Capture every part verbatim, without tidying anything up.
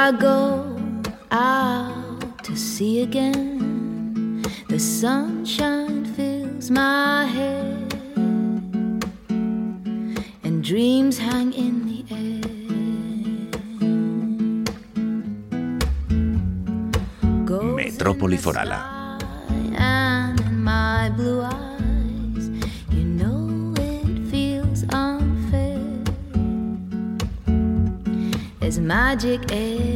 I go out to sea again, the sunshine fills my head, and dreams hang in the air. Goes Metrópoli Forala. and in my blue eyes, you know it feels unfair. There's magic everywhere.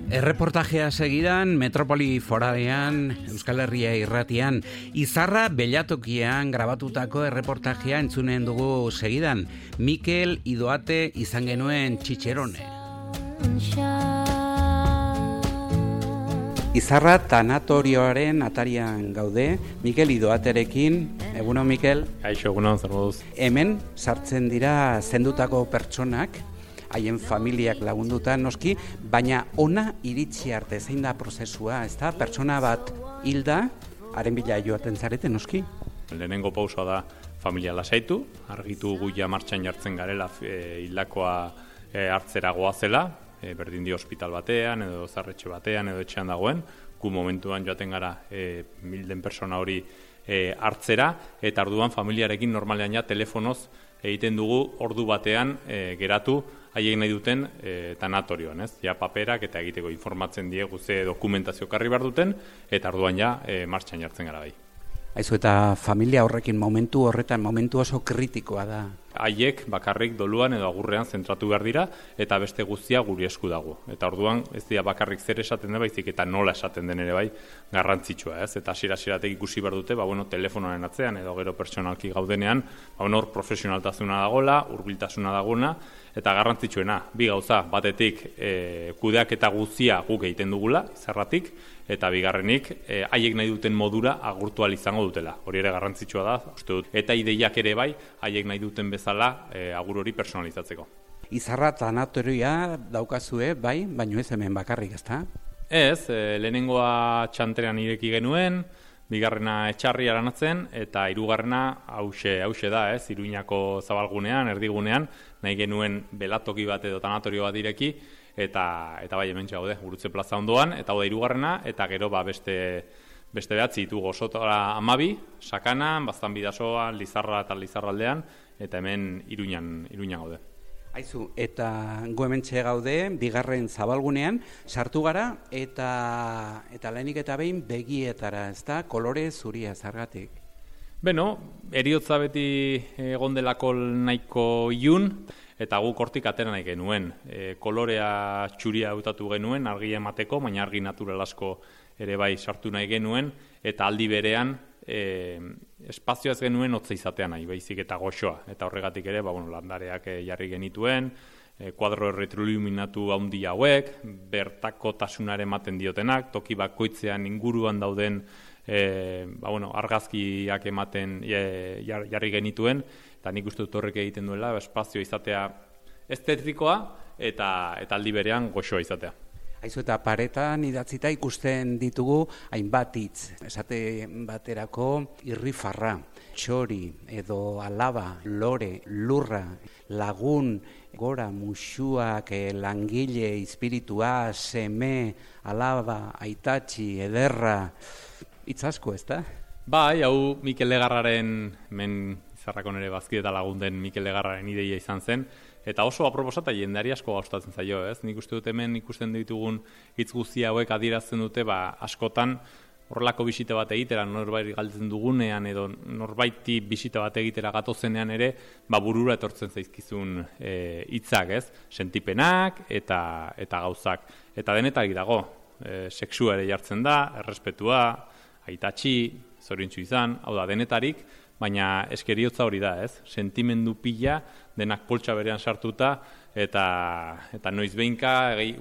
Erreportajea segidan, Metrópoli Foralean, Euskal Herria irratian, Izarra Bellatokian grabatutako erreportajea entzunen dugu segidan. Mikel Idoate izan genuen txitxerone. Izarra tanatorioaren atarian gaude, Mikel Idoaterekin. Egunon, Mikel? Kaixo, egunon, zer moduz? Hemen sartzen dira zendutako pertsonak, haien familiak lagunduta noski, baina ona iritsi arte zein da prozesua, ezta? Pertsona bat hilda, haren bila joaten zarete noski? Lehenengo pausoa da familia lasaitu, argitu guia martxan jartzen garela e, hildakoa e, hartzera goazela, e, berdin di hospital batean, edo zarretxe batean, edo etxean dagoen, gu momentuan joaten gara e, milden persona hori e, hartzera, eta orduan familiarekin normalean ja telefonoz egiten dugu ordu batean e, geratu haiek nahi duten e, tanatorioan, ez? Ja paperak eta egiteko informatzen diegu ze dokumentazio karri behar duten, eta orduan ja e, martxan jartzen gara bai. Aizu, eta familia horrekin momentu horretan, momentu oso kritikoa da. Haiek bakarrik doluan edo agurrean zentratu behar dira, eta beste guztia guri esku dago. Eta orduan ez dira bakarrik zer esaten den baizik eta nola esaten den ere bai garrantzitsua, ez? Eta hasiera-hasieratik ikusi behar dute, ba bueno, telefonoaren atzean edo gero pertsonalki gaudenean, ba hor profesionaltasuna dagola, hurbiltasuna dagona, eta garrantzitsuena, bi gauza, batetik e, kudeaketa guztia guk egiten dugula, izarratik, eta bigarrenik, e, haiek nahi duten modura agurtu ahal izango dutela. Hori ere garrantzitsua da, uste dut. Eta ideiak ere bai, haiek nahi duten bezala e, agur hori personalizatzeko. Izarra tanatorioa daukazue, bai, baino ez hemen bakarrik, ezta? Ez, e, lehenengoa txantrean ireki genuen, bigarrena etxarri aranatzen, eta hirugarrena hause, hause da, ez, Iruñako zabalgunean, erdigunean, nahi genuen belatoki bat edo tanatorio bat ireki, eta eta bai hementxe gaude, Gurutze plaza ondoan, eta hau da hirugarrena, eta gero ba beste beste behatzi ditu Gozotora hamabi, Sakanan, Baztan Bidasoan, Lizarra eta Lizarraldean, eta hemen Iruñan, Iruñan gaude. Aizu, eta gu hementxe gaude, bigarren zabalgunean, sartu gara, eta eta lehenik eta behin begietara, ezta, kolore zuria zergatik. Beno, eriotza beti egon delako nahiko ilun, eta guk hortik atera nahi genuen. E, kolorea txuria hautatu genuen, argi emateko, baina argi natural asko ere bai sartu nahi genuen, eta aldi berean e, espazioa ez genuen hotza izatea nahi, baizik eta goxoa. Eta horregatik ere, ba, bueno, landareak jarri genituen, e, kuadro erretroiluminatu handi hauek, bertako tasunare ematen diotenak, toki bakoitzean inguruan dauden E, ba, bueno, argazkiak ematen e, jarri genituen, eta nik uste dut horrek egiten duela, espazio izatea estetikoa eta, eta aldi berean goxoa izatea. Aizu, eta paretan idatzita ikusten ditugu hainbat hitz, esate baterako irrifarra, txori edo alaba, lore, lurra, lagun, gora, musuak, langile, espiritua, seme, alaba, aitatxi, ederra, hitz asko, ez da? Bai, hau Mikel Legarraren, men Izarrakon ere bazkide eta lagunden Mikel Legarraren ideia izan zen, eta oso aproposa eta jendari asko gustatzen zaio, ez? Nik uste dut hemen ikusten ditugun hitz guzti hauek adierazten dute, ba, askotan horrelako bisita bat egitera, norbait galtzen dugunean edo norbaiti bisita bat egitera gatozenean ere, ba, burura etortzen zaizkizun hitzak, e, ez? Sentipenak eta, eta gauzak. Eta denetarik dago, e, sexua ere jartzen da, errespetua, aitatxi, zoriontsu izan, hau da, denetarik, baina eskeriotza hori da, ez? Sentimendu pila, denak poltsa berean sartuta, eta, eta noiz behinka,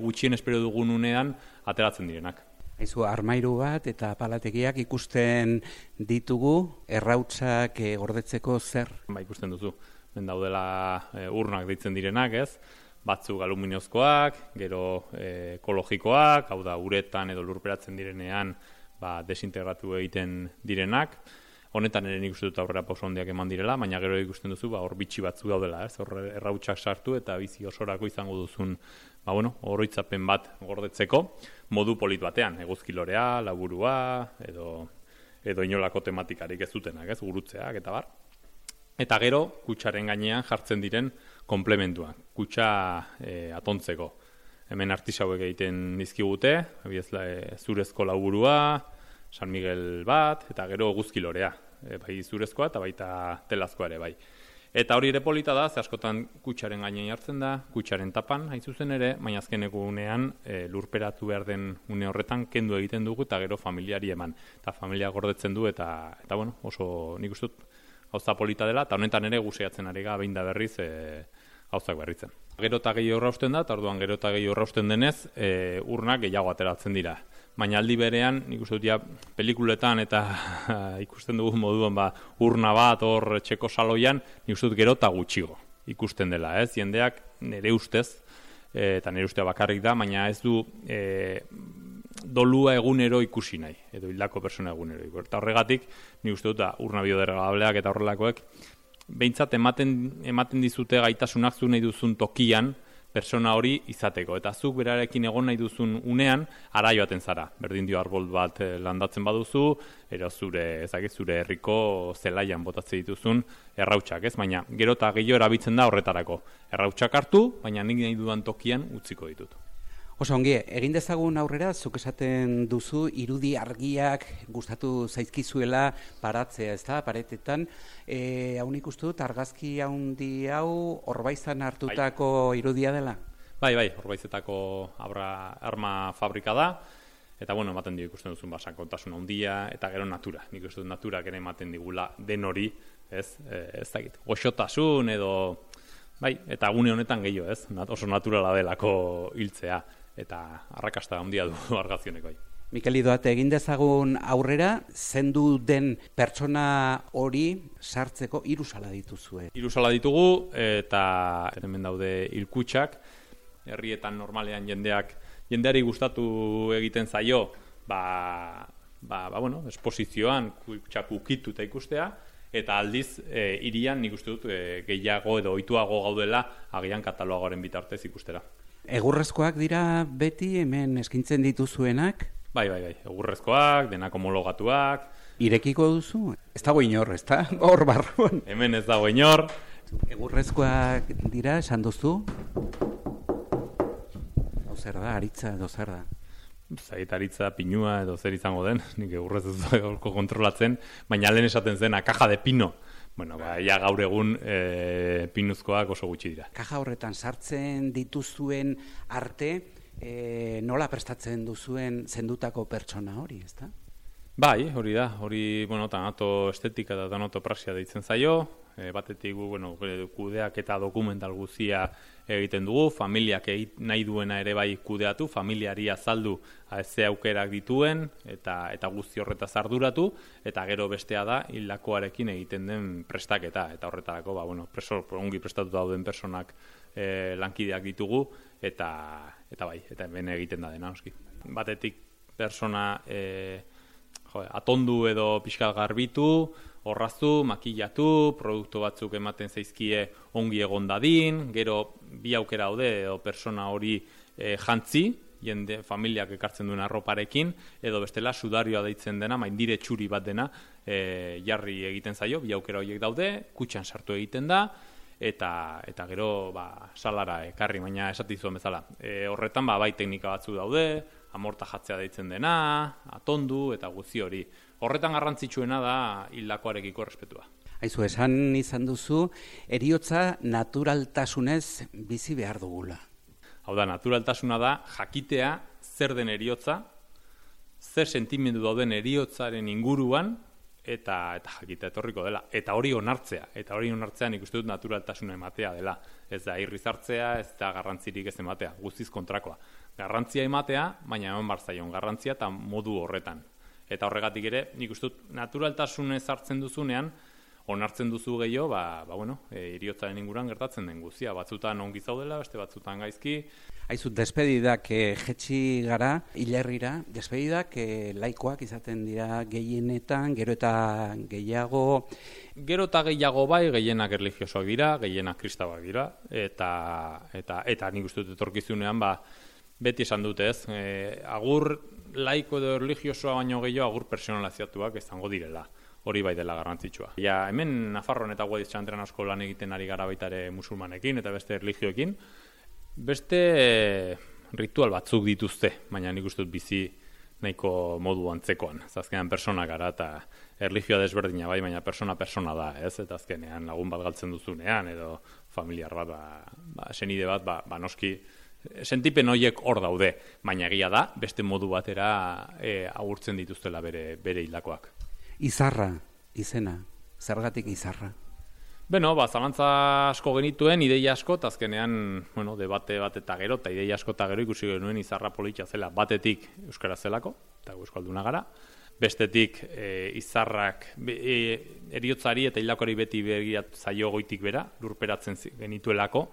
gutxien espero dugun unean, ateratzen direnak. Aizu, armairu bat eta palategiak ikusten ditugu, errautzak e, gordetzeko zer? Ba, ikusten duzu, ben daudela e, urnak deitzen direnak, ez? Batzuk aluminozkoak, gero e, ekologikoak, hau da, uretan edo lurperatzen direnean, ba, desintegratu egiten direnak. Honetan ere nik uste dut aurrera pauso handiak eman direla, baina gero ikusten duzu, ba, hor bitxi batzu daudela, ez? Hor errautsak sartu eta bizi osorako izango duzun, ba, bueno, oroitzapen bat gordetzeko, modu polit batean, eguzkilorea, laburua, edo, edo inolako tematikarik ez dutenak, ez? Gurutzeak eta bar. Eta gero, kutxaren gainean jartzen diren komplementuak, kutxa e, atontzeko. Hemen artisauek egiten dizkigute, abiez, e, zurezko laburua, San Miguel bat, eta gero eguzkilorea. E, bai zurezkoa eta baita telazkoa ere bai. Eta hori ere polita da, ze askotan kutxaren gainean jartzen da, kutxaren tapan, hain zuzen ere, baina azkeneko unean e, lurperatu behar den une horretan kendu egiten dugu eta gero familiari eman. Eta familia gordetzen du eta, eta bueno, oso nik uste dut gauza polita dela, eta honetan ere guseatzen ari ga behin da berriz e, gauzak berritzen. Gero eta gehiago errausten da, eta orduan gero eta gehiago errausten denez, e, urnak gehiago ateratzen dira. Baina aldi berean, nik uste dut ja, pelikuletan eta ikusten dugu moduan ba, urna bat hor txeko saloian, nik uste dut gero eta gutxigo ikusten dela, ez? Jendeak nire ustez, e, eta nire ustea bakarrik da, baina ez du e, dolua egunero ikusi nahi, edo hildako persona egunero. Eta horregatik, nik uste dut da, urna biodegradableak eta horrelakoek, behintzat ematen, ematen dizute gaitasunak zu nahi duzun tokian, persona hori izateko. Eta zuk berarekin egon nahi duzun unean, ara joaten zara. Berdin dio arbol bat landatzen baduzu, ero zure, ezagik, zure herriko zelaian botatzen dituzun errautsak, ez? Baina gero eta gehiago erabiltzen da horretarako. Errautsak hartu, baina nik nahi dudan tokian utziko ditut. Oso ongi, egin dezagun aurrera, zuk esaten duzu, irudi argiak gustatu zaizkizuela paratzea, ez da, paretetan. E, hau nik uste dut, argazki handi hau Orbaizan hartutako bai. Irudia dela? Bai, bai, Orbaizetako abra, arma fabrika da, eta bueno, ematen dio ikusten duzun basakontasun handia, eta gero natura. Nik uste dut naturak ere ematen digula den hori, ez, e, ez dakit, goxotasun edo, bai, eta gune honetan gehiago, ez, oso naturala delako hiltzea. Eta arrakasta handia du argazioneko. Mikel Idoate, egin dezagun aurrera, zendu den pertsona hori sartzeko hiru sala dituzue. Hiru sala ditugu eta hemen daude hilkutxak, herrietan normalean jendeak jendeari gustatu egiten zaio, ba, ba, ba bueno, esposizioan kutxak ukituta ikustea, eta aldiz e, irian nik uste dut e, gehiago edo ohituago gaudela agian katalogoaren bitartez ikustera. Egurrezkoak dira beti hemen eskintzen dituzuenak? Bai, bai, bai. Egurrezkoak, denak homologatuak. Irekiko duzu? Ez dago inor, ez da? Hor barruan. Hemen ez dago inor. Egurrezkoak dira, esan duzu? Hau zer da, aritza edo zer da? Zait aritza, pinua edo zer izango den, nik egurrez ez dago kontrolatzen, baina lehen esaten zen, caja de pino. Bueno, ba, ja gaur egun e, pinuzkoak oso gutxi dira. Kaja horretan sartzen dituzuen arte, e, nola prestatzen duzuen zendutako pertsona hori, ezta? Bai, hori da, hori, bueno, tanato estetika eta tanatopraxia deitzen zaio, e, batetik, bueno, kudeak eta dokumental guzia egiten dugu, familiak nahi duena ere bai kudeatu, familiari azaldu ze aukerak dituen, eta eta guzti horretaz arduratu, eta gero bestea da, hildakoarekin egiten den prestaketa, eta horretarako, ba, bueno, preso, ongi prestatu dauden personak e, lankideak ditugu, eta, eta bai, eta hemen egiten da dena, oski. Batetik, persona e, jo, atondu edo pixkat garbitu, horraztu, makillatu, produktu batzuk ematen zaizkie ongi egon dadin, gero bi aukera daude edo persona hori e, jantzi, jende familiak ekartzen duen arroparekin, edo bestela sudarioa deitzen dena, maindire txuri bat dena, e, jarri egiten zaio, bi aukera horiek daude, kutxan sartu egiten da, eta eta gero ba, salara ekarri, baina esatizuen bezala. E, horretan ba, bai teknika batzu daude, amorta jatzea deitzen dena, atondu eta guzti hori. Horretan garrantzitsuena da hildakoarekiko errespetua. Aizu, esan izan duzu, heriotza naturaltasunez bizi behar dugula. Hau da, naturaltasuna da jakitea zer den heriotza, zer sentimendu dauden heriotzaren inguruan, eta eta jakita etorriko dela. Eta hori onartzea. Eta hori onartzea nik uste dut naturaltasuna ematea dela. Ez da irriz hartzea, ez da garrantzirik ez ematea. Guztiz kontrakoa. Garrantzia ematea, baina eman barzaion garrantzia eta modu horretan. Eta horregatik ere, nik uste dut naturaltasunez hartzen duzunean, onartzen duzu gehiago, ba, ba bueno, e, iriotzaren inguruan gertatzen den guztia. Batzutan ongi zaudela, beste batzutan gaizki. Aizu, despedidak eh, jetxi gara, hilerrira, despedidak eh, laikoak izaten dira gehienetan, gero eta gehiago. Gero eta gehiago bai, gehienak erlijiosoak dira, gehienak kristauak dira, eta, eta, eta nik uste dut etorkizunean, ba, beti esan dute ez, e, agur laiko edo erlijiosoa baino gehiago agur personaliziatuak izango direla. Hori bai dela garrantzitsua. Ja, hemen Nafarroan eta Guadix Txantrean asko lan egiten ari gara baita ere musulmanekin eta beste erlijioekin. Beste ritual batzuk dituzte, baina nik uste dut bizi nahiko modu antzekoan. Azkenean persona gara eta erlijioa desberdina bai, baina persona-persona da, ez? Eta azkenean lagun bat galtzen duzunean edo familiar bat, ba, ba, senide bat, ba, ba noski sentipen horiek hor daude, baina egia da, beste modu batera e, agurtzen dituztela bere, bere hildakoak. Izarra, izena, zergatik izarra? Beno, ba, zalantza asko genituen, ideia asko, eta azkenean, bueno, debate bat eta gero, eta ideia asko eta gero ikusi genuen izarra politxa zela, batetik euskara zelako, eta euskalduna gara, bestetik e, izarrak e, eriotzari eta hilakori beti begirat zaio goitik bera, lurperatzen genituelako,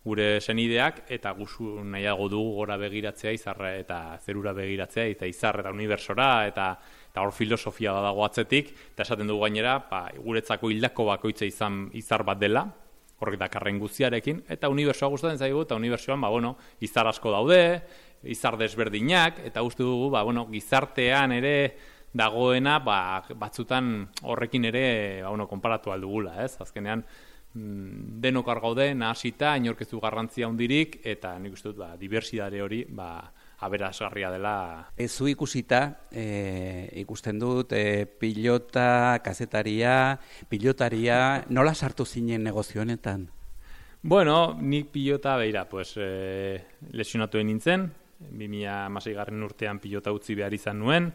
gure senideak, eta guzu nahiago dugu gora begiratzea izarra eta zerura begiratzea, eta izarra eta universora, eta eta hor filosofia badago atzetik, eta esaten dugu gainera, ba, guretzako hildako bakoitza izan izar bat dela, horrek dakarren guztiarekin, eta unibertsoa gustatzen zaigu, eta unibertsoan, ba, bueno, izar asko daude, izar desberdinak, eta uste dugu, ba, bueno, gizartean ere dagoena, ba, batzutan horrekin ere, ba, bueno, konparatu aldugula, ez? Azkenean, denok argaude, nahasita, inorkezu garrantzia hundirik, eta nik uste dut, ba, dibersidade hori, ba, aberasgarria dela. Zu ikusita, e, ikusten dut, e, pilota, kazetaria, pilotaria, nola sartu zinen negozio honetan? Bueno, nik pilota, beira, pues, e, lesionatu nintzen, bi mila hamaseigarren urtean pilota utzi behar izan nuen,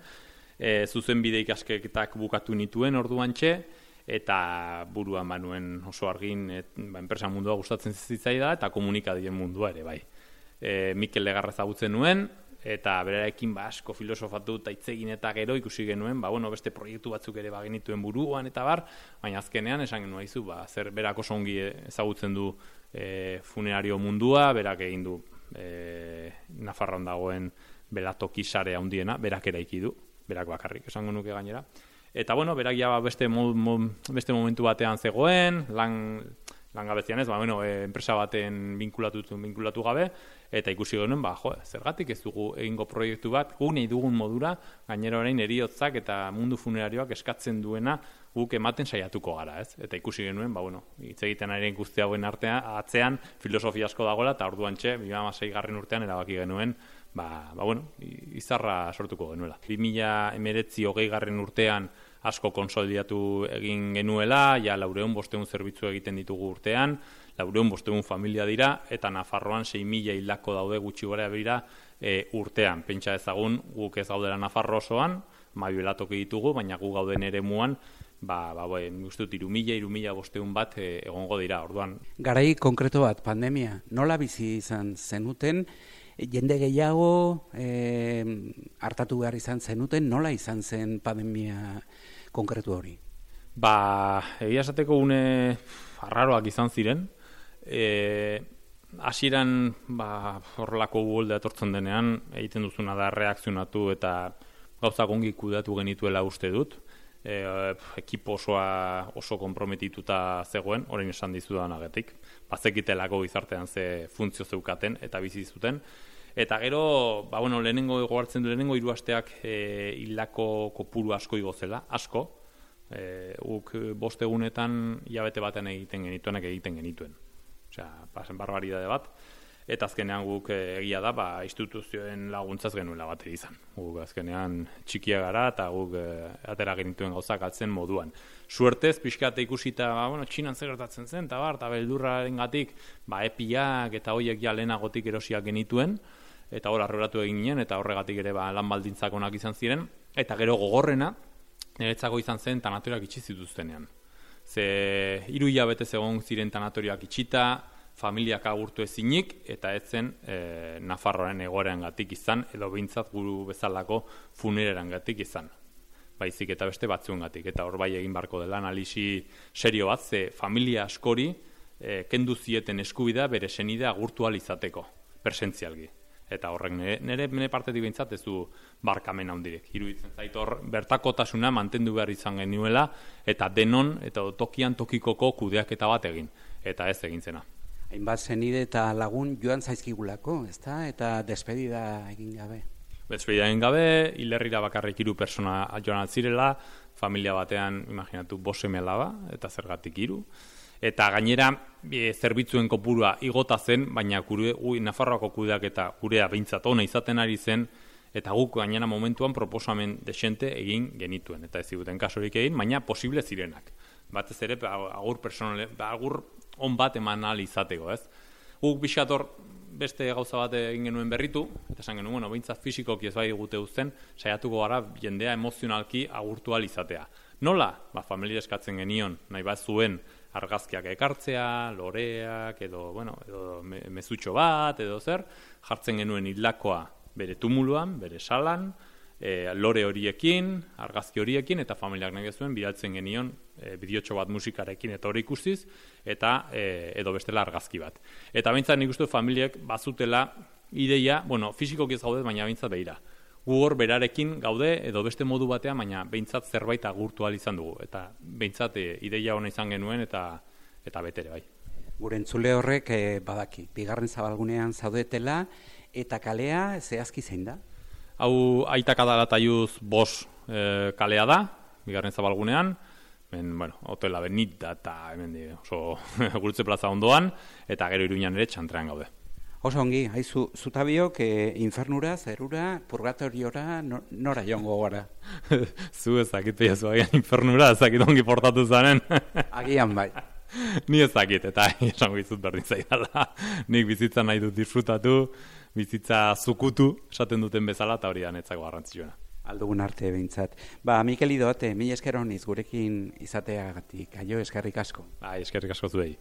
e, zuzenbide ikasketak bukatu nituen orduantxe, eta buruan banuen oso argin, et, ba, enpresa mundua gustatzen zitzaida, eta komunikadien mundua ere, bai. E, Mikel Legarra ezagutzen nuen, eta berarekin ba, asko filosofatu eta hitzegin eta gero ikusi genuen, ba, bueno, beste proiektu batzuk ere bagenituen buruan eta bar, baina azkenean esan genuen izu, ba, zer berak oso ongi ezagutzen du e, funerario mundua, berak egin du e, Nafarroan dagoen belatoki sarea handiena, berak eraiki du, berak bakarrik esango nuke gainera. Eta bueno, berak ja beste, mo, mo, beste momentu batean zegoen, lan... langabezian ez, ba, bueno, e, enpresa baten binkulatu, binkulatu gabe, eta ikusi genuen, ba, jo, zergatik ez dugu egingo proiektu bat, guk nahi dugun modura, gainera orain eriotzak eta mundu funerarioak eskatzen duena guk ematen saiatuko gara, ez? Eta ikusi genuen, ba, bueno, hitz egiten ari guzti hauen artean, atzean, filosofia asko dagoela, eta orduantxe, bi mila hamaseigarren urtean erabaki genuen, ba, ba, bueno, izarra sortuko genuela. bi mila hemeretzi hogeigarren urtean asko konsolidatu egin genuela, ja laureun bosteun zerbitzu egiten ditugu urtean, laureun bosteun familia dira, eta Nafarroan sei mila hildako daude gutxi gara bera e, urtean. Pentsa ezagun guk ez gaudela Nafarro osoan, mabi belatoki ditugu, baina gu gauden ere muan, ba, ba, ba, guztut, iru mila, iru mila bosteun bat e, egongo dira, orduan. Garai konkreto bat, pandemia, nola bizi izan zenuten, jende gehiago e, hartatu behar izan zenuten, nola izan zen pandemia konkretu hori? Ba, egia esateko une arraroak izan ziren. E, hasieran ba, horrelako uholde etortzen denean, egiten duzuna da reakzionatu eta gauzak ongi kudeatu genituela uste dut. E, ekipo osoa oso konprometituta zegoen, orain esan dizudanagetik. Bazekitelako gizartean ze funtzio zeukaten eta bizi zuten. Eta gero, ba, bueno, lehenengo gogartzen du, lehenengo hiru asteak e, hildako kopuru asko igo zela, asko. E, uk bost egunetan hilabete baten egiten genituenak egiten genituen. Osea, pasen barbaridade bat. Eta azkenean guk egia da, ba, instituzioen laguntzaz genuela bat izan. Guk azkenean txikia gara eta guk e, atera genituen gauzak altzen moduan. Suertez, pixkate ikusita, ba, bueno, Txinan zer gertatzen zen, eta bar, eta beldurraren gatik, ba, epiak eta hoiek ja lehenagotik erosiak genituen, eta hor arroratu egin ginen, eta horregatik ere ba, lan baldintzak onak izan ziren, eta gero gogorrena, niretzako izan zen tanatoriak itxi zituztenean. Ze hiru hilabete egon ziren tanatoriak itxita, familiak agurtu ezinik, eta ez zen e, Nafarroaren egoeran gatik izan, edo behintzat guru bezalako funereran gatik izan. baizik eta beste batzuengatik. Eta hor bai egin barko dela analisi serio bat, ze familia askori e, kendu zieten eskubidea bere senidea agurtu ahal izateko, presentzialgi. Eta horrek nire, nire, nire partetik behintzat ez du barkamen handirik. Iruditzen zait hor bertakotasuna mantendu behar izan genuela eta denon eta tokian tokikoko kudeaketa bat egin. Eta ez egin zena. Hainbat senide eta lagun joan zaizkigulako, ezta? Eta despedida egin gabe. Despedida egin gabe, hilerrira bakarrik hiru persona joan altzirela, familia batean, imaginatu, bost seme alaba, eta zergatik hiru. Eta gainera, e, zerbitzuen kopurua igota zen, baina gure, ui, Nafarroako kudeak eta gurea behintzat ona izaten ari zen, eta guk gainera momentuan proposamen desente egin genituen. Eta ez ziguten kasorik egin, baina posible zirenak. Batez ere, agur personale, agur on bat eman ahal izateko, ez? Guk bixator beste gauza bat egin genuen berritu, eta esan genuen, bueno, behintzat fisikoki ez bai gute uzten, saiatuko gara jendea emozionalki agurtu ahal izatea. Nola? Ba, familia eskatzen genion, nahi bat zuen argazkiak ekartzea, loreak, edo, bueno, edo me, mezutxo bat, edo zer, jartzen genuen hildakoa bere tumuluan, bere salan, e, lore horiekin, argazki horiekin, eta familiak nahi zuen bidaltzen genion e, bideotxo bat musikarekin eta hori ikustiz, eta e, edo bestela argazki bat. Eta behintzat nik uste familiek bazutela ideia, bueno, fisikoki ez gaude, baina behintzat behira. Gugor berarekin gaude edo beste modu batean, baina behintzat zerbait agurtu ahal izan dugu. Eta behintzat e, ideia ona izan genuen eta eta betere bai. Gure entzule horrek e, badaki, bigarren zabalgunean zaudetela, eta kalea zehazki zein da? Hau Aita Kadalataiuz bos e, kalea da, bigarren zabalgunean, ben, bueno, hotela Benita eta hemen di, oso Gurutze plaza ondoan, eta gero Iruñan ere txantrean gaude. Oso ongi, haizu, zutabiok e, infernura, zerura, purgatoriora, no, nora joango gara? Zu ezakit peazu agian infernura, ezakit ongi portatu zanen. Agian bai. Ni ezakit, eta esango izut berdin zaidala. Nik bizitza nahi dut disfrutatu, bizitza zukutu, esaten duten bezala, eta hori da netzako garrantzitsuena. Aldugun arte behintzat. Ba, Mikel Idoate, mila esker honiz gurekin izateagatik, aio eskerrik asko. Ai, eskerrik asko zuei.